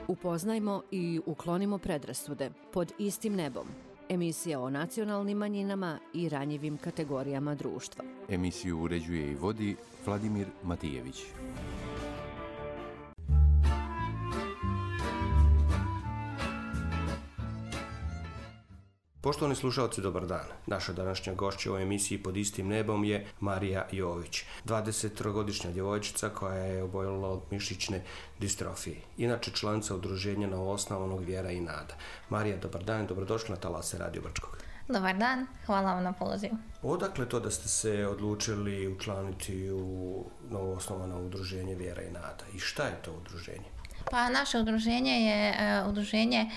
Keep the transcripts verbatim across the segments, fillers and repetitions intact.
Upoznajmo i uklonimo predrasude pod istim nebom. Emisija o nacionalnim manjinama i ranjivim kategorijama društva. Emisiju uređuje i vodi Vladimir Matijević. Poštovani slušalci, dobar dan. Naša današnja gošća u emisiji Pod istim nebom je Marija Jović, dvadesettrogodišnja djevojčica koja je oboljela od mišićne distrofije. Inače članica udruženja novoosnovanog Vjera i nada. Marija, dobar dan i dobrodošla na talase Radio Brčkog. Dobar dan, hvala vam na pozivu. Odakle to da ste se odlučili učlaniti u novoosnovano udruženje Vjera i nada? I šta je to udruženje? Pa naše udruženje je uh, udruženje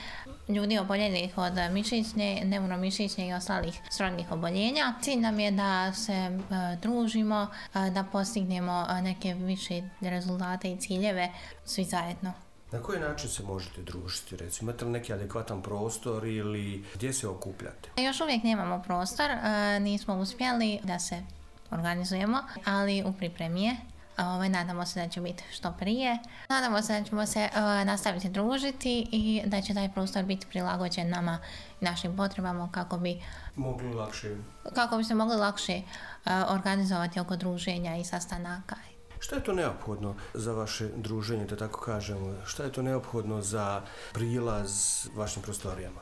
ljudi oboljelih od mišićne, neuromišićne i ostalih srodnih oboljenja. Cilj nam je da se uh, družimo, uh, da postignemo uh, neke više rezultate i ciljeve svi zajedno. Na koji način se možete družiti? Recimo, imate li neki adekvatan prostor ili gdje se okupljate? Još uvijek nemamo prostor, uh, nismo uspjeli da se organizujemo, ali u pripremi je. Ovaj, nadamo se da će biti što prije. Nadamo se da ćemo se uh, nastaviti družiti i da će taj prostor biti prilagođen nama i našim potrebama kako bi mogli lakše kako bi se mogli lakše uh, organizovati oko druženja i sastanaka. Šta je to neophodno za vaše druženje, da tako kažemo? Šta je to neophodno za prilaz vašim prostorijama?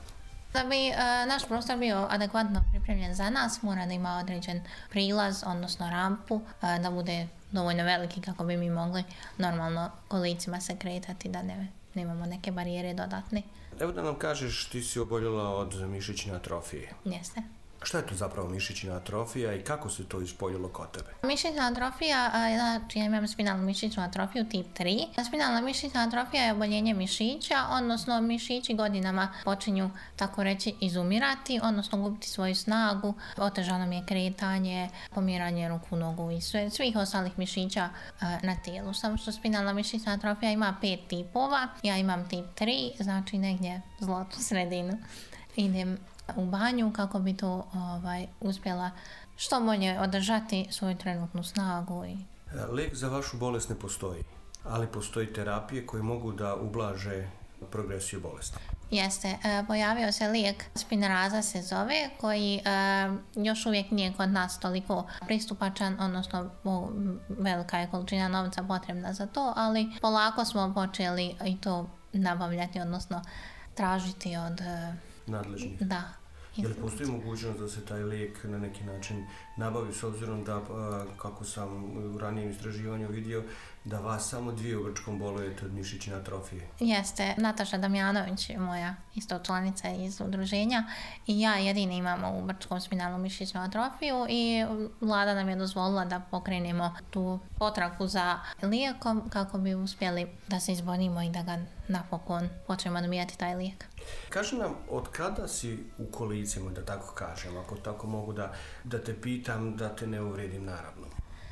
Da bi uh, naš prostor bio adekvatno pripremljen za nas, mora da ima određen prilaz, odnosno rampu, uh, da bude dovoljno veliki kako bi mi mogli normalno kolicima se kretati, da ne, nemamo neke barijere dodatne. Evo da nam kažeš, ti si oboljela od mišićne atrofije. Jeste. Šta je to zapravo mišićna atrofija i kako se to ispoljilo kod tebe? Mišićna atrofija, znači ja imam spinalnu mišićnu atrofiju tip tri. Spinalna mišićna atrofija je oboljenje mišića, odnosno mišići godinama počinju, tako reći, izumirati, odnosno gubiti svoju snagu, otežano mi je kretanje, pomiranje ruku, nogu i sve, svih ostalih mišića na tijelu. Samo što spinalna mišićna atrofija ima pet tipova, ja imam tip tri, znači negdje zlatnu sredinu. Idem u banju kako bi to ovaj, uspjela što bolje održati svoju trenutnu snagu. I... Lijek za vašu bolest ne postoji, ali postoji terapije koje mogu da ublaže progresiju bolesti. Jeste, e, pojavio se lijek Spinraza se zove, koji e, još uvijek nije kod nas toliko pristupačan, odnosno o, velika je količina novca potrebna za to, ali polako smo počeli i to nabavljati, odnosno tražiti od e, nadležnih. Da. Je li postoji mogućnost da se taj lijek na neki način nabavi, s obzirom da, kako sam u ranijem istraživanju vidio, da vas samo dvije u Brčkom bolujete od mišićne atrofije? Jeste. Nataša Damjanović je moja isto članica iz udruženja i ja jedini imamo u Brčkom spinalnu mišićnu atrofiju i vlada nam je dozvolila da pokrenemo tu potragu za lijekom kako bi uspjeli da se izborimo i da ga napokon počnemo dobijati taj lijek. Kaži nam, od kada si u kolicima, da tako kažem, ako tako mogu da, da te pitam, da te ne uvrijedim naravno?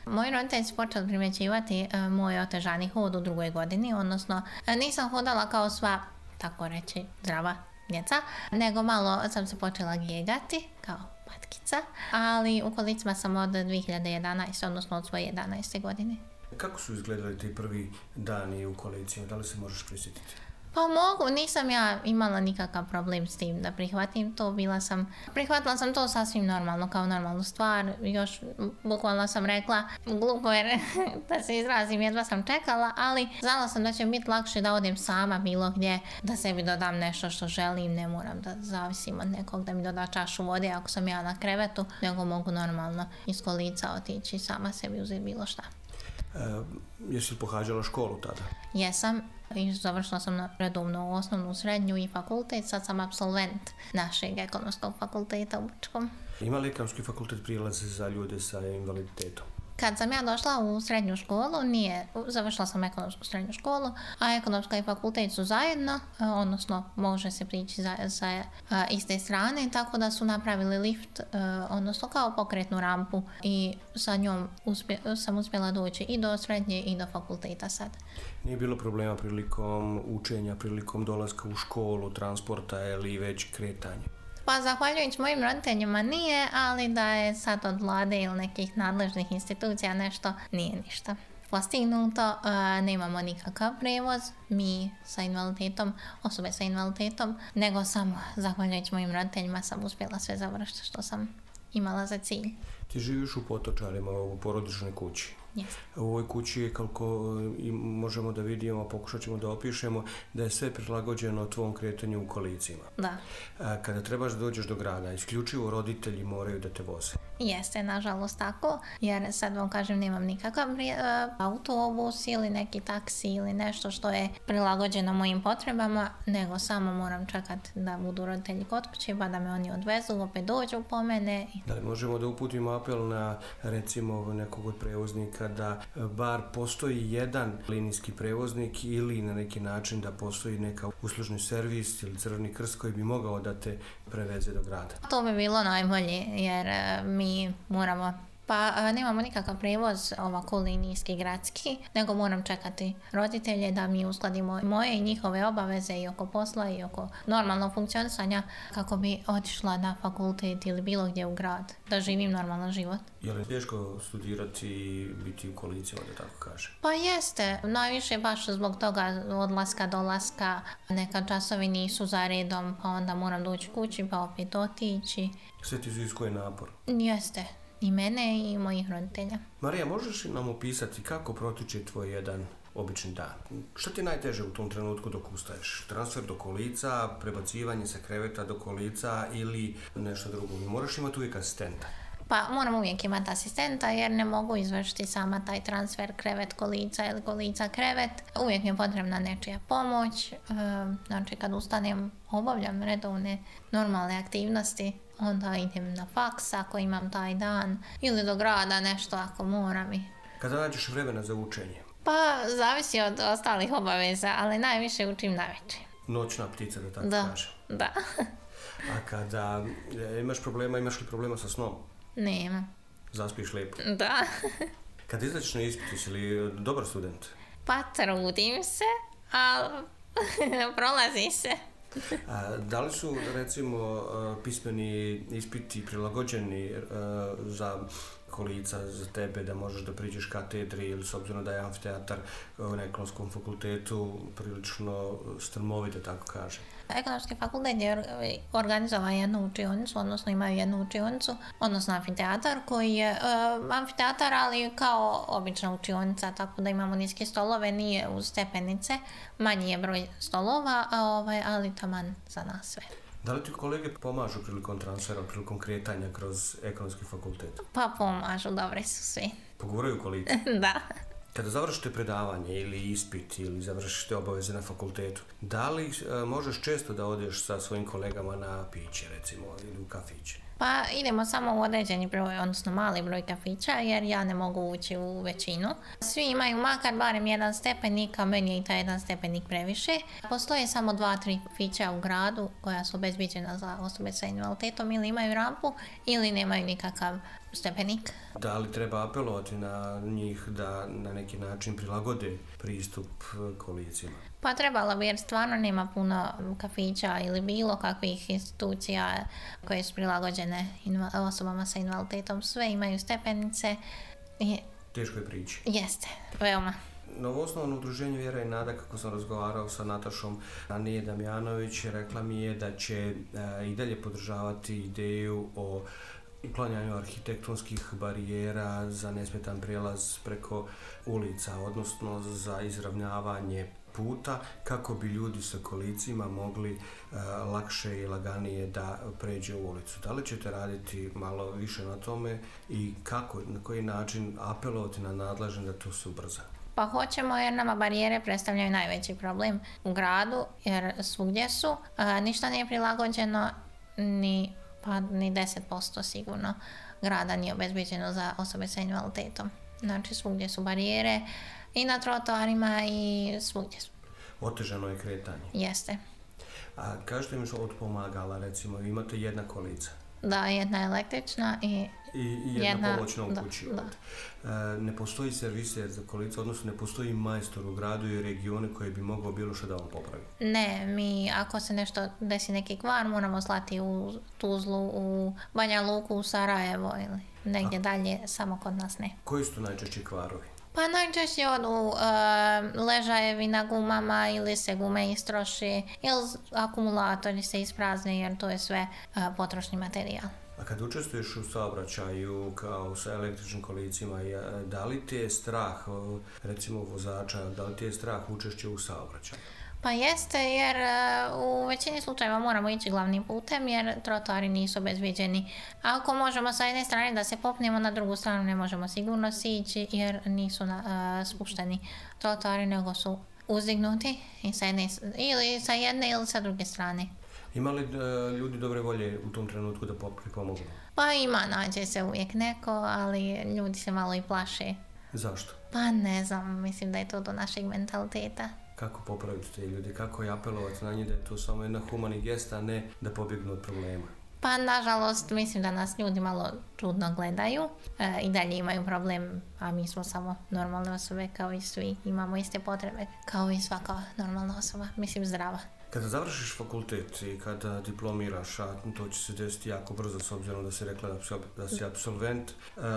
Moji roditelji su počeli primjećivati uh, moj otežani hod u drugoj godini, odnosno uh, nisam hodala kao sva, tako reći, zdrava djeca, nego malo sam se počela gegati kao patkica, ali u kolicima sam od dvije hiljade jedanaeste. odnosno od svoje jedanaeste godine. Kako su izgledali ti prvi dani u kolicima? Da li se možeš prisjetiti? Pa mogu, nisam ja imala nikakav problem s tim da prihvatim to, bila sam, prihvatila sam to sasvim normalno, kao normalnu stvar, još bukvalno sam rekla, glupo jer da se izrazim, jedva sam čekala, ali znala sam da će biti lakše da odem sama bilo gdje, da sebi dodam nešto što želim, ne moram da zavisim od nekog da mi doda čašu vode ako sam ja na krevetu, nego mogu normalno iz kolica otići sama sebi uzeti bilo šta. E, jesi li pohađala školu tada? Jesam i završila sam redovno osnovnu, srednju i fakultet, sad sam apsolvent našeg ekonomskog fakulteta u Brčkom. Ima li ekonomski fakultet prilaz za ljude sa invaliditetom? Kad sam ja došla u srednju školu, nije, završila sam ekonomsku srednju školu, a ekonomska i fakultet su zajedno, odnosno može se prići za, sa iste strane, tako da su napravili lift, odnosno kao pokretnu rampu i sa njom uspje, sam uspjela doći i do srednje i do fakulteta sad. Nije bilo problema prilikom učenja, prilikom dolaska u školu, transporta ili već kretanja? Pa zahvaljujući mojim roditeljima nije, ali da je sad od vlade ili nekih nadležnih institucija nešto, nije ništa. postignuto. Nemamo nikakav prevoz, mi sa invaliditetom, osobe sa invaliditetom, nego samo zahvaljujući mojim roditeljima sam uspjela sve završiti što sam imala za cilj. Ti živiš u Potočarima, u porodičnoj kući. Yes. U ovoj kući je, kako možemo da vidimo, pokušat ćemo da opišemo, da je sve prilagođeno tvom kretanju u kolicima. Da. Kada trebaš da dođeš do grada, isključivo roditelji moraju da te voze. Jeste, nažalost tako, jer sad vam kažem nemam nikakav autobus ili neki taksi ili nešto što je prilagođeno mojim potrebama, nego samo moram čekati da budu roditelji kod kuće pa da me oni odvezu, opet dođu po mene. Da li možemo da uputimo apel na, recimo, nekog od prevoznika da bar postoji jedan linijski prevoznik ili na neki način da postoji neka uslužni servis ili Crveni krst koji bi mogao da te preveze do grada? To bi bilo najbolje, jer mi moramo, pa nemamo nikakav prevoz ovako linijski, gradski, nego moram čekati roditelje da mi uskladimo moje i njihove obaveze i oko posla i oko normalnog funkcionisanja kako bi otišla na fakultet ili bilo gdje u grad, da živim normalan život. Je li teško studirati i biti u kolicima, da tako kaže? Pa jeste, najviše baš zbog toga odlaska, dolaska, neka časovi nisu za redom, pa onda moram doći kući pa opet otići. Sve ti iziskuje napor? Jeste, i mene i mojih roditelja. Marija, možeš nam opisati kako protiče tvoj jedan obični dan? Što ti je najteže u tom trenutku dok ustaješ? Transfer do kolica, prebacivanje sa kreveta do kolica ili nešto drugo? Moraš imati uvijek asistenta. Pa moram uvijek imati asistenta jer ne mogu izvršiti sama taj transfer krevet kolica ili kolica krevet. Uvijek mi je potrebna nečija pomoć. E, znači kad ustanem obavljam redovne normalne aktivnosti, onda idem na faks ako imam taj dan ili do grada nešto ako moram. I... Kada nađeš vremena za učenje? Pa zavisi od ostalih obaveza, ali najviše učim navečer. Noćna ptica, da tako da, kaže. Da. A kada imaš problema, imaš li problema sa snom? Nema. Zaspiš lijepo? Da. Kad izađeš na ispit, jesi li dobar student? Pa trudim se, ali prolazi se. A, da li su, recimo, pismeni ispiti prilagođeni za kolica, za tebe, da možeš da priđeš katedri ili s obzirom da je amfiteatar na Ekonomskom fakultetu prilično strmovit, da tako kažem? Ekonomski fakultet je organizovao jednu učionicu, odnosno imaju jednu učionicu, odnosno amfiteatar koji je uh, amfiteatar, ali kao obična učionica, tako da imamo niske stolove, nije uz stepenice, manji je broj stolova, a ovaj, ali taman za nas sve. Da li ti kolege pomažu prilikom transfera, prilikom kretanja kroz Ekonomski fakultet? Pa pomažu, dobre su svi. Pogovaraju kolice? Da. Kada završite predavanje ili ispit ili završite obaveze na fakultetu, da li e, možeš često da odeš sa svojim kolegama na piće, recimo, ili u kafiće? Pa idemo samo u određeni broj, odnosno mali broj kafića, jer ja ne mogu ući u većinu. Svi imaju makar barem jedan stepenik, a meni je i taj jedan stepenik previše. Postoje samo dva, tri kafića u gradu koja su obezbiđena za osobe sa invaliditetom, ili imaju rampu ili nemaju nikakav stepenik. Da li treba apelovati na njih da na neki način prilagode pristup kolicima? Pa trebalo bi, jer stvarno nema puno kafića ili bilo kakvih institucija koje su prilagođene inva- osobama sa invaliditetom. Sve imaju stepenice. I... Teško je prići. Jeste, veoma. Novoosnovano udruženje Vjera i nada, kako sam razgovarao sa Natašom Anije Damjanović, rekla mi je da će e, i dalje podržavati ideju o uklanjanju arhitektonskih barijera za nesmetan prijelaz preko ulica, odnosno za izravnavanje puta kako bi ljudi sa kolicima mogli uh, lakše i laganije da pređe u ulicu. Da li ćete raditi malo više na tome i kako, na koji način apelovati na nadležne da to se ubrza? Pa hoćemo, jer nama barijere predstavljaju najveći problem u gradu, jer svugdje su. A, ništa nije prilagođeno, ni, pa, ni deset posto sigurno grada nije obezbeđeno za osobe sa invaliditetom. Znači svugdje su barijere i na trotoarima i svugdje su. Otežano je kretanje. Jeste. A kažete mi što od pomagala, recimo, imate jedna kolica? Da, jedna električna i, I, i jedna, jedna pomoćna u kući. Da. E, ne postoji serviser za kolica, odnosno ne postoji majstor u gradu i regione koji bi mogao bilo što da vam popravi? Ne, mi ako se nešto desi neki kvar, moramo slati u Tuzlu, u Banja Luku, u Sarajevo ili negdje A. dalje, samo kod nas ne. Koji su to najčešći kvarovi? Pa najčešće odu e, ležajevi na gumama ili se gume istroši ili akumulatori se isprazne jer to je sve e, potrošni materijal. A kad učestvuješ u saobraćaju kao sa električnim kolicima, da li ti je strah, recimo vozača, da li ti je strah učešće u saobraćaju? Pa jeste, jer u većini slučajeva moramo ići glavnim putem jer trotoari nisu obezviđeni. Ako možemo sa jedne strane da se popnemo, na drugu stranu ne možemo sigurno sići jer nisu na, uh, spušteni trotoari, nego su uzdignuti i sa jedne, ili sa jedne ili sa druge strane. Ima li uh, ljudi dobre volje u tom trenutku da pomognu? Pa ima, nađe se uvijek neko, ali ljudi se malo i plaše. Zašto? Pa ne znam, mislim da je to do našeg mentaliteta. Kako popraviti te ljudi, kako je apelovati na njih da je to samo jedna humani gesta, a ne da pobjegnu od problema? Pa nažalost mislim da nas ljudi malo čudno gledaju e, i dalje imaju problem, a mi smo samo normalne osobe kao i svi, imamo iste potrebe kao i svaka normalna osoba, mislim zdrava. Kada završiš fakultet i kada diplomiraš, a to će se desiti jako brzo s obzirom da si rekla da si absolvent,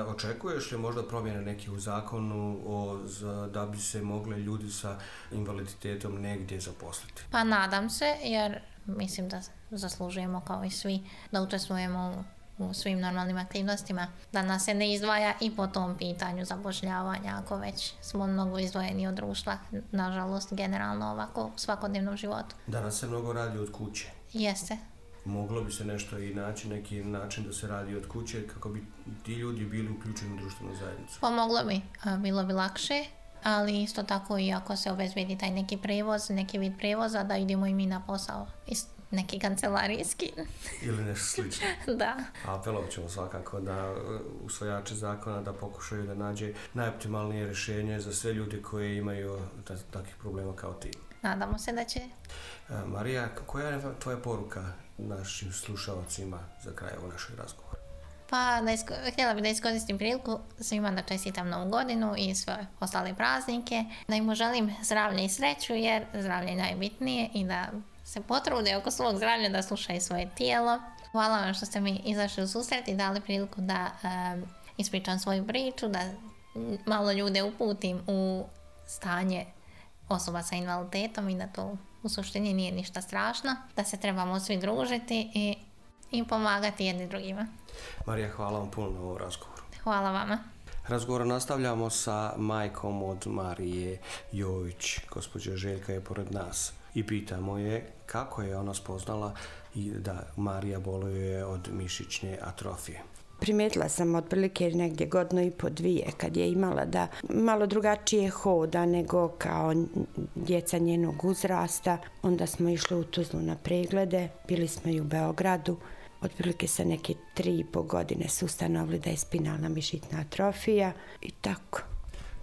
očekuješ li možda promjene neki u zakonu o, za, da bi se mogli ljudi sa invaliditetom negdje zaposliti? Pa nadam se, jer mislim da zaslužujemo kao i svi da učestvujemo u u svim normalnim aktivnostima, da nas se ne izdvaja i po tom pitanju zapošljavanja, ako već smo mnogo izdvojeni od društva, nažalost, generalno ovako u svakodnevnom životu. Danas se mnogo radi od kuće. Jeste. Moglo bi se nešto i naći, neki način da se radi od kuće kako bi ti ljudi bili uključeni u društvenu zajednicu? Pomoglo bi, bilo bi lakše, ali isto tako i ako se obezbedi taj neki prevoz, neki vid prevoza, da idemo i mi na posao. Neki kancelarijski. Ili nešto slično. Da. Apelovat ćemo svakako da usvajače zakona da pokušaju da nađe najoptimalnije rješenje za sve ljudi koji imaju takvih problema kao ti. Nadamo se da će. Marija, koja je tvoja poruka našim slušalcima za kraj ovog našeg razgovora? Pa da isko, htjela bih da iskoristim priliku svima da čestitam Novu godinu i sve ostale praznike, da im želim zdravlje i sreću jer zdravlje je najbitnije i da se potrude oko svog zdravlja, da slušaju svoje tijelo. Hvala vam što ste mi izašli u susret i dali priliku da um, ispričam svoju priču, da malo ljude uputim u stanje osoba sa invaliditetom i da to u suštini nije ništa strašno, da se trebamo svi družiti i, i pomagati jedni drugima. Marija, hvala vam puno na ovom razgovoru. Hvala vama. Razgovor nastavljamo sa majkom od Marije Jović. Gospođa Željka je pored nas i pitamo je kako je ona spoznala i da Marija boluje od mišićne atrofije. Primijetila sam otprilike negdje godinu i po dvije kad je imala da malo drugačije hoda nego kao djeca njenog uzrasta. Onda smo išli u Tuzlu na preglede, bili smo i u Beogradu. Otprilike sa neke tri i po godine su ustanovili da je spinalna mišićna atrofija i tako.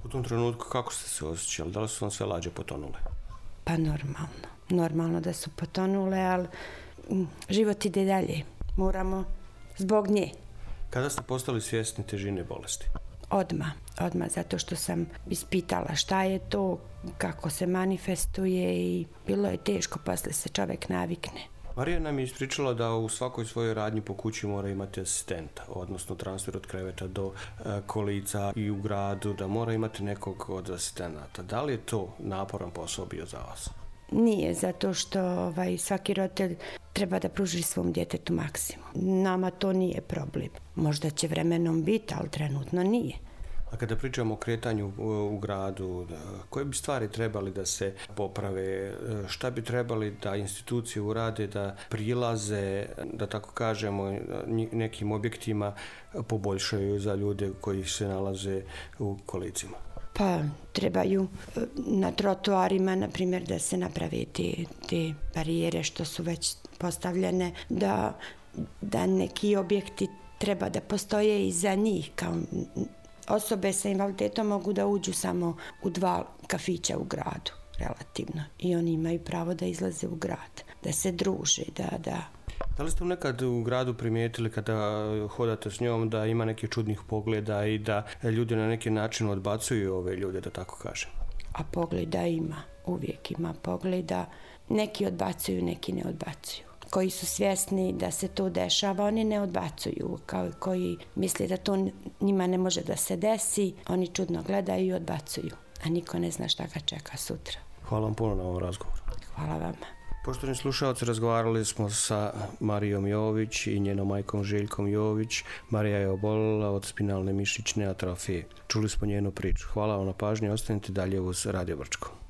U tom trenutku kako ste se osjećali? Da li su vam sve lađe potonule? Pa normalno. Normalno da su potonule, ali život ide dalje. Moramo zbog nje. Kada ste postali svjesni težine bolesti? Odmah. Odmah, zato što sam ispitala šta je to, kako se manifestuje i bilo je teško, poslije se čovjek navikne. Marija nam je ispričala da u svakoj svojoj radnji po kući mora imati asistenta, odnosno transfer od kreveta do e, kolica i u gradu, da mora imati nekog od asistenata. Da li je to naporan posao bio za vas? Nije, zato što ovaj, svaki roditelj treba da pruži svom djetetu maksimum. Nama to nije problem. Možda će vremenom biti, ali trenutno nije. A kada pričamo o kretanju u gradu, koje bi stvari trebali da se poprave, šta bi trebali da institucije urade, da prilaze, da tako kažemo, nekim objektima poboljšaju za ljude koji se nalaze u kolicima? Pa trebaju na trotoarima, na primjer, da se naprave te, te barijere što su već postavljene, da, da neki objekti treba da postoje i za njih, kao osobe sa invaliditetom mogu da uđu samo u dva kafića u gradu, relativno. I oni imaju pravo da izlaze u grad, da se druže, da... Da, da li ste nekad u gradu primijetili kada hodate s njom da ima nekih čudnih pogleda i da ljudi na neki način odbacuju ove ljude, da tako kažem? A pogleda ima, uvijek ima pogleda. Neki odbacuju, neki ne odbacuju. koji su svjesni da se to dešava, oni ne odbacuju, kao i koji misle da to njima ne može da se desi, oni čudno gledaju i odbacuju, a niko ne zna šta ga čeka sutra. Hvala vam puno na ovom razgovoru. Hvala vama. Poštovani slušalci, razgovarali smo sa Marijom Jović i njenom majkom Željkom Jović. Marija je oboljela od spinalne mišićne atrofije. Čuli smo njenu priču. Hvala vam na pažnji, ostanite dalje uz Radio Brčko.